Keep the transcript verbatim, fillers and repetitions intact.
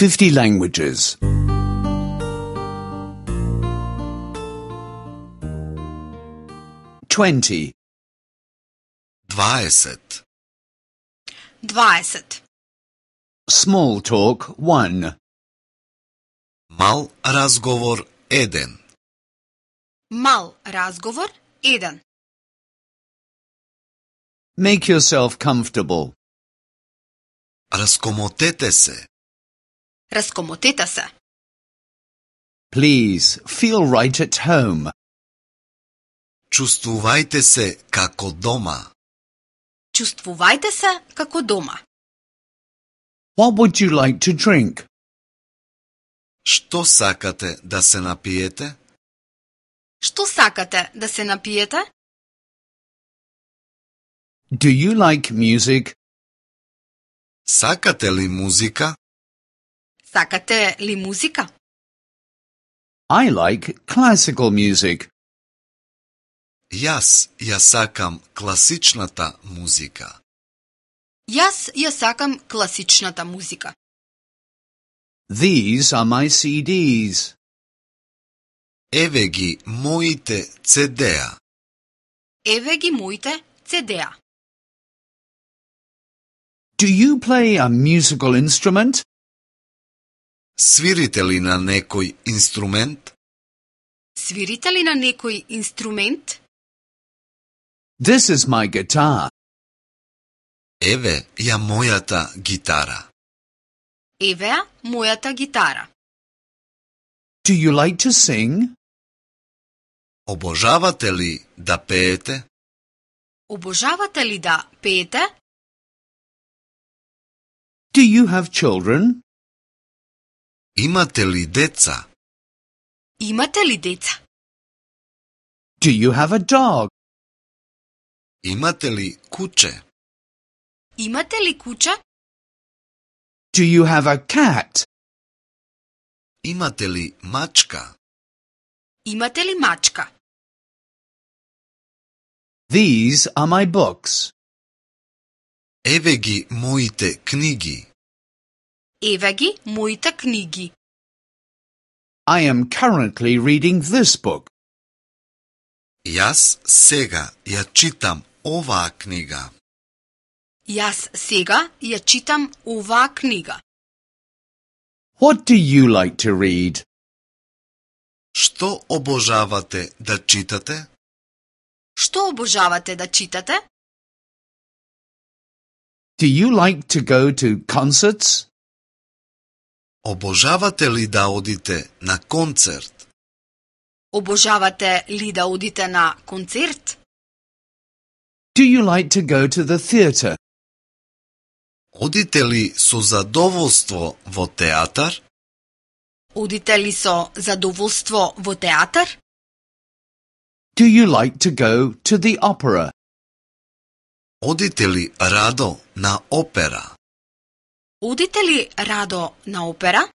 fifty languages. twenty. dvadeset. dvadeset. Small talk one. Мал разговор еден. Мал разговор еден. Make yourself comfortable. Разкомотете се. Разкомотете се. Please feel right at home. Чувствувајте се како дома. Чувствувајте се како дома. What would you like to drink? Што сакате да се напиете? Што сакате да се напиете? Do you like music? Сакате ли музика? Сакате ли музика? I like classical music. Јас ја сакам класичната музика. Јас ја сакам класичната музика. These are my C Ds. Еве ги моите цедеа. Еве ги моите цедеа. Do you play a musical instrument? Свирите ли на некој инструмент? Свирите ли на некој инструмент? This is my guitar. Еве ја мојата гитара. Еве ја мојата гитара. Do you like to sing? Обожавате ли да пеете? Обожавате ли да пеете? Do you have children? Имате ли деца? Имате ли деца? Do you have a dog? Имате ли куче? Имате ли куче? Do you have a cat? Имате ли мачка? Имате ли мачка? These are my books. Еве ги моите книги. Еве ги моите книги. I am currently reading this book. Јас сега ја читам оваа книга. Јас сега ја читам оваа книга. What do you like to read? Што обожавате да читате? Што обожавате да читате? Do you like to go to concerts? Обожавате ли да одите на концерт? Обожавате ли да одите на концерт? Do you like to go to the theatre? Одите ли со задоволство во театар? Одите ли со задоволство во театар? Do you like to go to the opera? Одите ли радо на опера? Одите ли радо на опера?